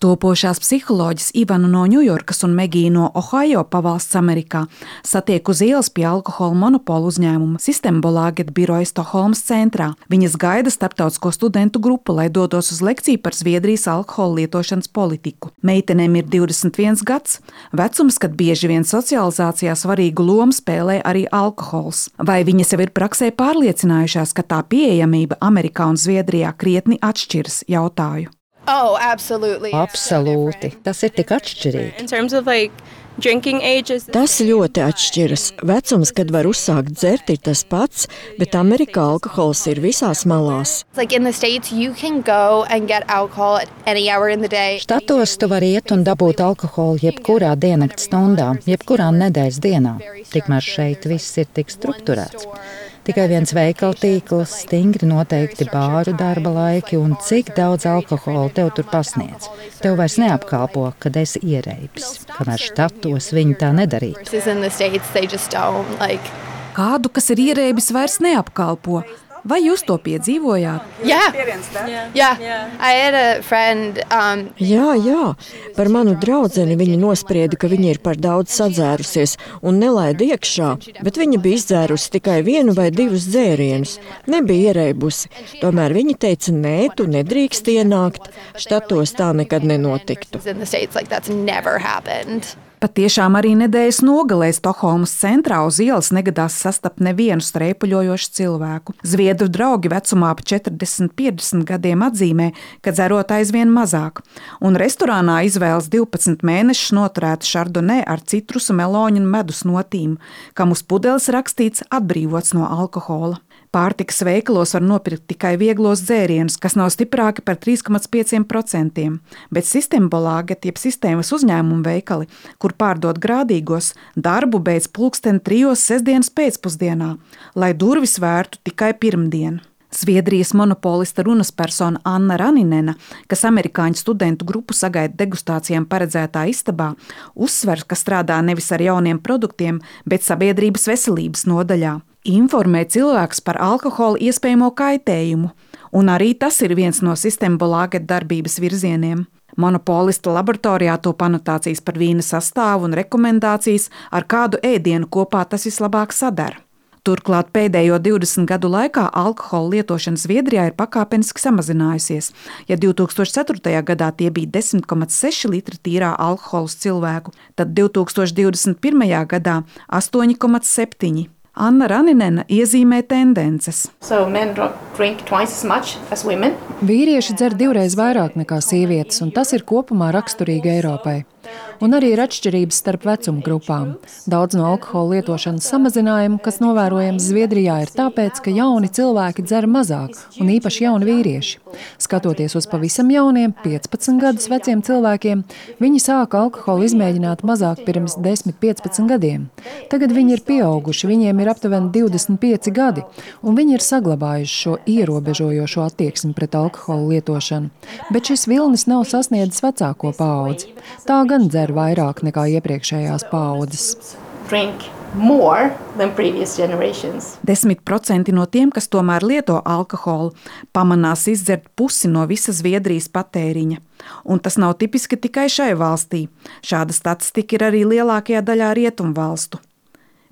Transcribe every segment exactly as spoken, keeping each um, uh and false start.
Topošās psiholoģis Ivanu no Ņujorkas un Megiju no Ohio pavalsts Amerikā satiek uz ielas pie alkohola monopolu uzņēmuma Systembolaget biroja Stokholmas centrā. Viņas gaida starptautisko studentu grupu, lai dotos uz lekciju par Zviedrijas alkohola lietošanas politiku. Meitenēm ir divdesmit viens gads, vecums, kad bieži vien socializācijā svarīgu lomu spēlē arī alkohols. Vai viņas jau ir praksē pārliecinājušās, ka tā pieejamība Amerikā un Zviedrijā krietni atšķiras, jautāju. Oh, absolutely. Absolūti. Tas ir tik atšķirīgi. In terms of like drinking ages. Tas ļoti atšķiras. Vecums, kad var uzsākt dzert, ir tas pats, bet Amerikā alkohols ir visās malās. Like in the States, you can go and get alcohol at any hour in the day. Štatos tu vari iet un dabūt alkoholu jebkurā diennakts stundā, jebkurā nedēļas dienā. Tikmēr šeit viss ir tik strukturēts. Tikai viens veikala tīkls, stingri noteikti bāru darba laiki un cik daudz alkohola tev tur pasniedz. Tev vairs neapkalpo, kad esi ierēbis, kamēr štatos viņi tā nedarītu. Kādu, kas ir ierēbis, vairs neapkalpo. Vai jūs to piedzīvojāt? Yeah. Yeah. I had a friend, um... Jā, jā. Par manu draudzeni viņa nosprieda, ka viņa ir par daudz sadzērusies un nelaida iekšā, bet viņa bija izdzērusi tikai vienu vai divus dzērienus. Nebija ierēbusi. Tomēr viņa teica, nē, tu nedrīkst ienākt. Štatos tā nekad nenotiktu. Patiešām arī nedēļas nogalē Stokholmas centrā uz ielas negadās sastapt nevienu streipuļojošu cilvēku. Zviedru draugi vecumā ap četrdesmit piecdesmit gadiem atzīmē, ka dzerot aizvien mazāk. Un restorānā izvēlas divpadsmit mēnešus noturētu šardonē ar citrusu, meloņu un medus notīm, kam uz pudeles rakstīts atbrīvots no alkohola. Pārtikas veikalos var nopirkt tikai vieglos dzērienus, kas nav stiprāki par trīs komats pieci procenti, bet Systembolaget, jeb sistēmas uzņēmumu veikali, kur pārdod grādīgos, darbu beidz pulksteni trijos sestdienas pēcpusdienā, lai durvis vērtu tikai pirmdien. Zviedrijas monopolista runas persona Anna Raninena, kas amerikāņu studentu grupu sagaida degustācijām paredzētā istabā, uzsver, ka strādā nevis ar jauniem produktiem, bet sabiedrības veselības nodaļā. Informē cilvēks par alkohola iespējamo kaitējumu, un arī tas ir viens no Systembolaget darbības virzieniem. Monopolista laboratorijā top anotācijas par vīna sastāvu un rekomendācijas, ar kādu ēdienu kopā tas vislabāk sadara. Turklāt pēdējo divdesmit gadu laikā alkohola lietošana Zviedrijā ir pakāpeniski samazinājusies. Ja divtūkstoš ceturtajā gadā tie bija desmit komats seši litri tīrā alkohola uz cilvēku, tad divtūkstoš divdesmit pirmajā gadā astoņi komats septiņi. Anna Raninena iezīmē tendences. So men drink twice as much as women. Vīrieši dzer divreiz vairāk nekā sievietes, un tas ir kopumā raksturīgi Eiropai. Un arī ir atšķirības starp vecuma grupām. Daudz no alkohola lietošanas samazinājumu, kas novērojams Zviedrijā, ir tāpēc, ka jauni cilvēki dzer mazāk, un īpaši jauni vīrieši. Skatoties uz pavisam jauniem, piecpadsmit gadus veciem cilvēkiem, viņi sāka alkoholu izmēģināt mazāk pirms desmit piecpadsmit gadiem. Tagad viņi ir pieauguši, viņiem ir aptuveni divdesmit pieci gadi, un viņi ir saglabājuši šo ierobežojošo attieksmi pret alkoholu lietošanu. Bet šis vilnis nav sasniedzis vecāko paudzi. Tā gan dzer vairāk nekā iepriekšējās paaudzes. Desmit procenti no tiem, kas tomēr lieto alkoholu, pamanās izdzert pusi no visa Zviedrijas patēriņa. Un tas nav tipiski tikai šai valstī. Šāda statistika ir arī lielākajā daļā rietumvalstu.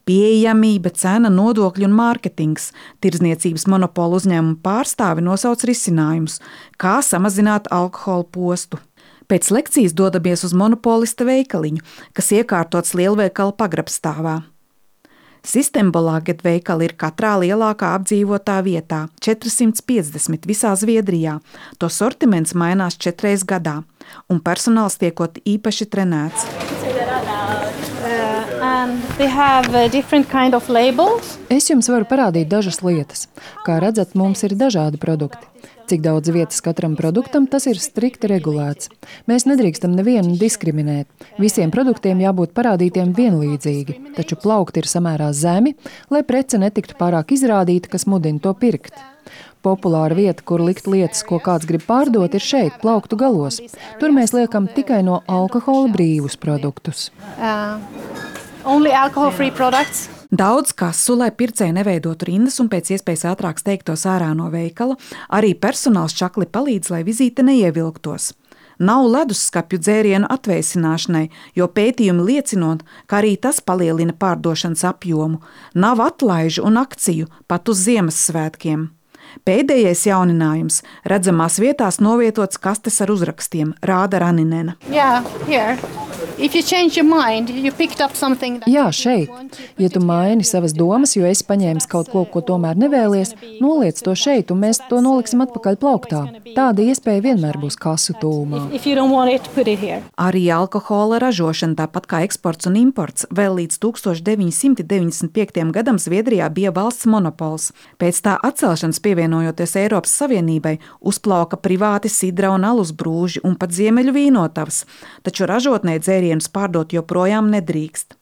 Pieejamība, cena, nodokļi un mārketings. Tirdzniecības monopolu uzņēmumu pārstāvi nosauc risinājumus, kā samazināt alkohola postu. Pēc lekcijas dodamies uz monopolista veikaliņu, kas iekārtots lielveikala pagrabstāvā. Systembolaget veikali ir katrā lielākā apdzīvotā vietā, četrsimt piecdesmit visā Zviedrijā. To sortiments mainās četreiz gadā, un personāls tiekot īpaši trenēts. Kind of es jums varu parādīt dažas lietas. Kā redzat, mums ir dažādi produkti. Cik daudz vietas katram produktam, tas ir strikti regulēts. Mēs nedrīkstam nevienu diskriminēt. Visiem produktiem jābūt parādītiem vienlīdzīgi, taču plaukti ir samērā zemi, lai prece netiktu pārāk izrādīta, kas mudina to pirkt. Populāra vieta, kur likt lietas, ko kāds grib pārdot, ir šeit, plauktu galos. Tur mēs liekam tikai no alkohola brīvus produktus. Uh, only alcohol-free products. Daudz kasu, lai pircēji neveidotu rindas un pēc iespējas ātrāk steigtos ārā no veikala, arī personāls čakli palīdz, lai vizīte neievilktos. Nav leduskapju dzērienu atvēsināšanai, jo pētījumi liecinot, ka arī tas palielina pārdošanas apjomu. Nav atlaižu un akciju pat uz Ziemassvētkiem. Pēdējais jauninājums – redzamās vietās novietots kastes ar uzrakstiem, rāda Raninena. Yeah, here. If you change your mind, you picked up something that Jā, šeit. Ja tu maini savas domas, jo esi paņēmis kaut ko, ko tomēr nevēlies, noliec to šeit, un mēs to noliksim atpakaļ plauktā. Tāda iespēja vienmēr būs kasu tūmā. if you don't want it, put it here. Arī alkohola ražošana, tāpat kā eksports un imports, vēl līdz tūkstoš deviņi simti deviņdesmit piektajam gadam Zviedrijā bija valsts monopols. Pēc tā atcelšanas pievienojoties Eiropas Savienībai, uzplauka privāti sidra un alus brūži un pat ziemeļu vīnotavas, taču ražotnē dzērienus pārdot joprojām nedrīkst.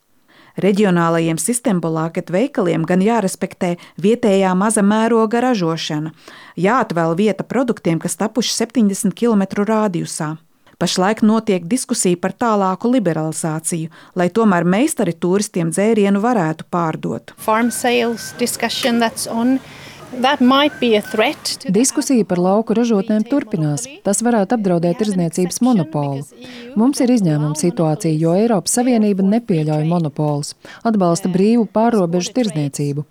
Reģionālajiem sistembolāket veikaliem gan jārespektē vietējā maza mēroga ražošana, jāatvēl vieta produktiem, kas tapuši septiņdesmit kilometru rādijusā. Pašlaik notiek diskusija par tālāku liberalizāciju, lai tomēr meistari turistiem dzērienu varētu pārdot. Farm sales discussion that's on. That might be a threat to Diskusija par lauku ražotnēm turpinās. Tas varētu apdraudēt tirdzniecības monopolu. Mums ir izņēmuma situācija, jo Eiropas Savienība nepieļauj monopolus, atbalsta brīvu pārrobežu tirdzniecību.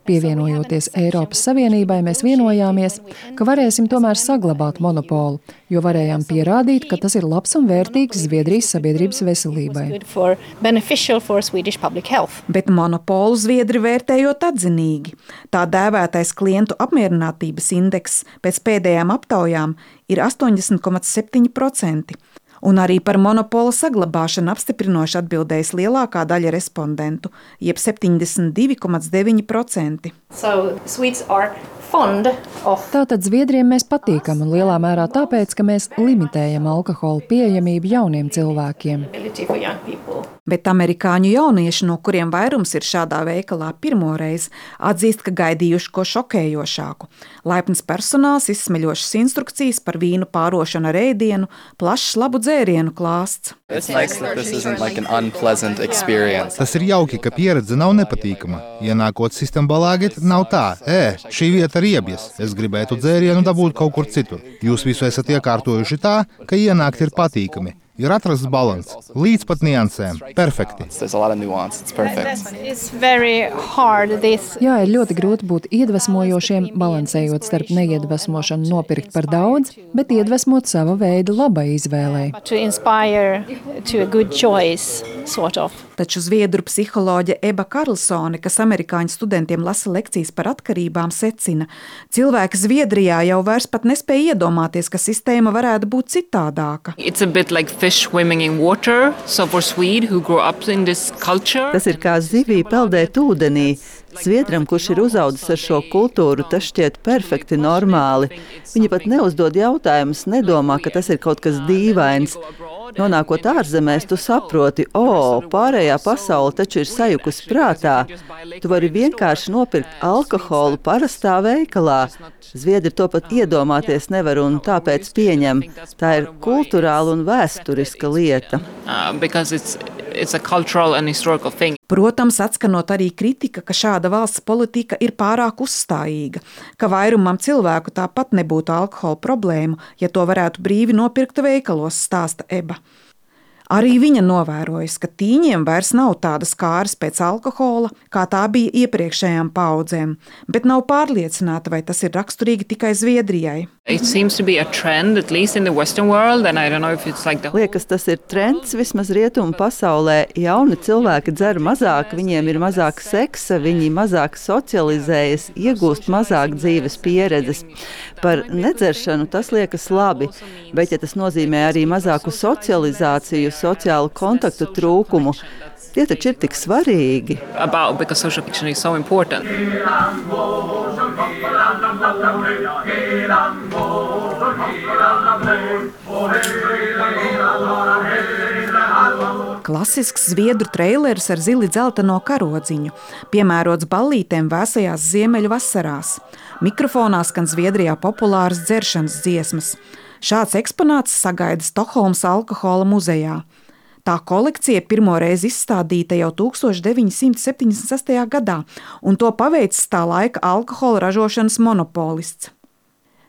Pievienojoties Eiropas Savienībai, mēs vienojāmies, ka varēsim tomēr saglabāt monopolu, jo varējām pierādīt, ka tas ir labs un vērtīgs Zviedrijas sabiedrības veselībai. good for beneficial for Swedish public health. Bet monopolu Zviedri vērtējot atzinīgi. Tā dēvētais klientu apmierinātības indeks pēc pēdējām aptaujām ir astoņdesmit komats septiņi procenti. Un arī par monopola saglabāšanu apstiprinoši atbildējis lielākā daļa respondentu, jeb septiņdesmit divi komats deviņi procenti. So Swedes are fond of Tātad Zviedriem mēs patīkam un lielā mērā tāpēc, ka mēs limitējam alkohola pieejamību jauniem cilvēkiem. ability for young people. Bet amerikāņu jaunieši, no kuriem vairums ir šādā veikalā pirmoreiz, atzīst, ka gaidījuši ko šokējošāku. Laipns personāls, izsmeļošas instrukcijas par vīnu pārošanu ar ēdienu, plašs labu dzērienu klāsts. It's nice that this isn't like an unpleasant experience. Tas ir jauki, ka pieredze nav nepatīkama. Ienākot Systembolaget, nav tā, ē, šī vieta ir iebjas, es gribētu dzērienu dabūt kaut kur citur. Jūs visu esat iekārtojuši tā, ka ienākt ir patīkami. Ir atrasts balans, līdz pat niansēm. Perfekti. There's a lot of nuance. It's perfect. It's very hard this Jā, ir ļoti grūti būt iedvesmojošiem, balansējot starp neiedvesmošanu nopirkt par daudz, bet iedvesmot sava veida labai izvēlei. to inspire to a good choice, sort of. Taču zviedru psiholoģe Eba Karlsone, kas amerikāņu studentiem lasa lekcijas par atkarībām, secina, cilvēki Zviedrijā jau vairs pat nespēja iedomāties, ka sistēma varētu būt citādāka. It's a bit like fish swimming in water. So for Swede who grew up in this culture, Tas ir kā zivī peldēt ūdenī. Zviedram, kurš ir uzaudzis ar šo kultūru, tas šķiet perfekti normāli. Viņi pat neuzdod jautājumus, nedomā, ka tas ir kaut kas dīvains. Nonākot ārzemēs, tu saproti, o, pārējā pasaule taču ir sajukusi prātā. Tu vari vienkārši nopirkt alkoholu parastā veikalā. Zviedri to pat iedomāties nevar un tāpēc pieņem. Tā ir kulturāla un vēsturiska lieta. uh, because it's it's a cultural and historical thing. Protams, atskanot arī kritika, ka šāda valsts politika ir pārāk uzstājīga, ka vairumam cilvēku tāpat nebūtu alkohola problēmu, ja to varētu brīvi nopirkt veikalos, stāsta Eba. Arī viņa novērojas, ka tīņiem vairs nav tādas kāras pēc alkohola, kā tā bija iepriekšējām paudzēm, bet nav pārliecināta, vai tas ir raksturīgi tikai Zviedrijai. It seems to be a trend, at least in the Western world, and I don't know if it's like the Liekas, tas ir trends vismaz rietumu pasaulē. Jauni cilvēki dzer mazāk, viņiem ir mazāk seksa, viņi mazāk socializējas, iegūst mazāk dzīves pieredzes. Par nedzeršanu tas liekas labi, bet ja tas nozīmē arī mazāku socializāciju, sociālu kontaktu trūkumu, tie taču ir tik svarīgi. about because social fiction is so important. Klasisks zviedru treilers ar zili dzelteno karodziņu, piemērots ballītēm vēsajās ziemeļu vasarās. Mikrofonā skan Zviedrijā populāras dzeršanas dziesmas. Šāds eksponāts sagaida Stokholmas alkohola muzejā. Tā kolekcija pirmoreiz izstādīta jau tūkstoš deviņi simti septiņdesmit sestajā gadā, un to paveicis tā laika alkohola ražošanas monopolists.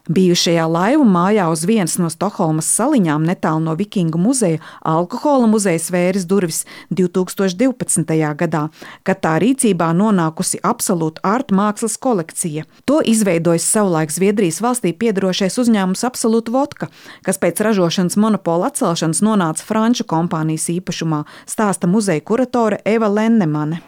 Bijušajā laivu mājā uz vienas no Stokholmas saliņām netālu no Vikingu muzeja alkohola muzejs vēris durvis divtūkstoš divpadsmitajā gadā, kad tā rīcībā nonākusi absolūta ārta mākslas kolekcija. To izveidojis savulaik Zviedrijas valstī piedarošais uzņēmums Absolut Vodka, kas pēc ražošanas monopola atcelšanas nonāca franču kompānijas īpašumā, stāsta muzeja kuratore Eva Lennemane.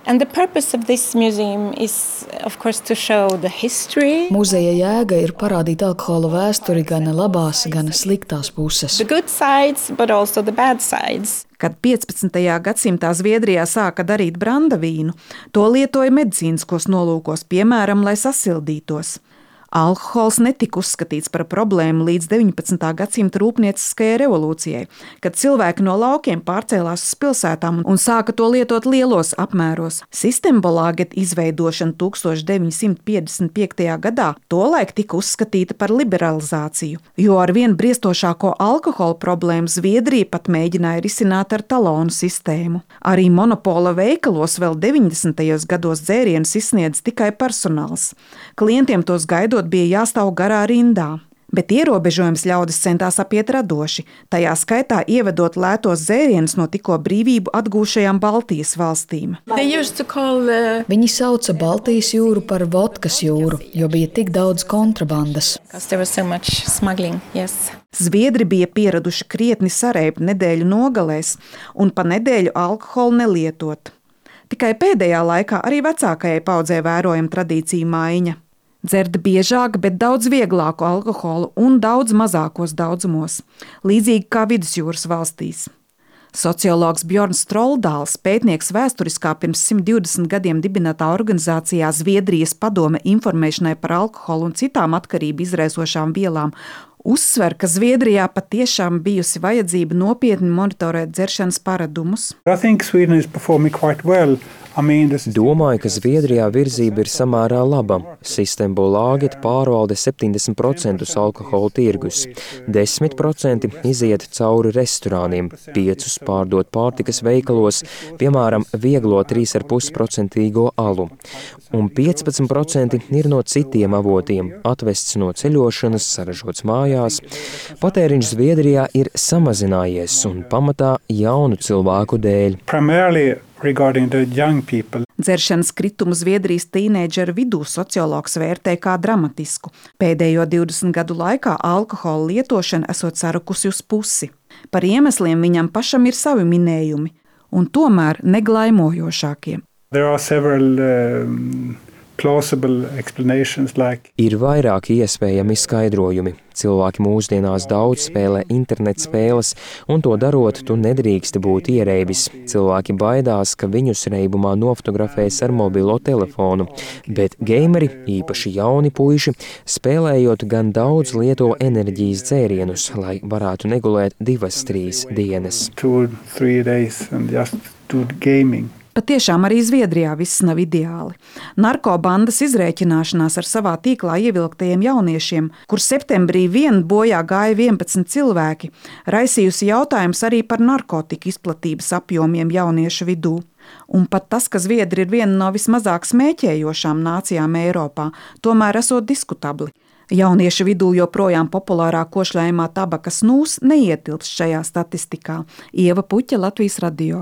Muzeja jēga ir parādīt alkohola vēsturi gan labās, gan sliktās puses. Sides, Kad piecpadsmitajā gadsimtā Zviedrijā sāka darīt brandavīnu, to lietoja medicīniskos nolūkos, piemēram, lai sasildītos. Alkohols netika uzskatīts par problēmu līdz deviņpadsmitā gadsimta rūpnieciskajai revolūcijai, kad cilvēki no laukiem pārcēlās uz pilsētām un sāka to lietot lielos apmēros. Systembolaget izveidošana tūkstoš deviņsimt piecdesmit piektajā gadā tolaik tika uzskatīta par liberalizāciju, jo ar vien briestošāko alkohola problēmu Zviedrija pat mēģināja risināt ar talonu sistēmu. Arī monopola veikalos vēl deviņdesmitajos gados dzērienus izsniedz tikai personāls. Klientiem tos gaidot bija jāstāv garā rindā. Bet ierobežojums ļaudis centās apiet radoši, tajā skaitā ievedot lētos dzērienus no tikko brīvību atgūšajām Baltijas valstīm. Call, uh... Viņi sauca Baltijas jūru par vodkas jūru, jo bija tik daudz kontrabandas. So yes. Zviedri bija pieraduši krietni sareibt nedēļu nogalēs un pa nedēļu alkoholu nelietot. Tikai pēdējā laikā arī vecākajai paudzē vērojama tradīcija maiņa. Dzert biežāk, bet daudz vieglāku alkoholu un daudz mazākos daudzumos, līdzīgi kā vidusjūras valstīs. Sociologs Bjorns Troldāls, pētnieks vēsturiskā pirms simt divdesmit gadiem dibinātā organizācijā Zviedrijas padome informēšanai par alkoholu un citām atkarību izraisošām vielām, uzsver, ka Zviedrijā patiešām bijusi vajadzība nopietni monitorēt dzeršanas paradumus. Domāju, ka Zviedrijā virzība ir samērā laba. Systembolaget pārvalda septiņdesmit procentus alkohola tirgus, desmit procenti iziet cauri restorāniem, piecus pārdot pārtikas veikalos, piemēram, vieglo trīs ar pus procentīgo alu, un piecpadsmit procenti ir no citiem avotiem, atvests no ceļošanas, saražots mājās. Patēriņš Zviedrijā ir samazinājies un pamatā jaunu cilvēku dēļ. Dzeršanas kritumu Zviedrijas tīneidžeru vidū sociologs vērtē kā dramatisku. Pēdējo divdesmit gadu laikā alkohola lietošana esot sarukusi uz pusi. Par iemesliem viņam pašam ir savi minējumi, un tomēr neglaimojošākie. Several, um... Like... Ir vairāki iespējami skaidrojumi. Cilvēki mūsdienās daudz spēlē internet spēles, un to darot, tu nedrīksti būt iereibis. Cilvēki baidās, ka viņus reibumā nofotografēs ar mobilo telefonu, bet gameri, īpaši jauni puiši, spēlējot gan daudz lieto enerģijas dzērienus, lai varētu negulēt divas, trīs dienas. Two, three days and just do gaming. Patiešām arī Zviedrijā viss nav ideāli. Narkobandas izrēķināšanās ar savā tīklā ievilktajiem jauniešiem, kur septembrī vien bojā gāja vienpadsmit cilvēki, raisījusi jautājums arī par narkotiku izplatības apjomiem jauniešu vidū. Un pat tas, ka Zviedri ir viena no vismazāk smēķējošām nācijām Eiropā, tomēr esot diskutabli. Jauniešu vidū joprojām populārā košļājumā tabakas snūs neietilpst šajā statistikā. Ieva Puķa, Latvijas radio.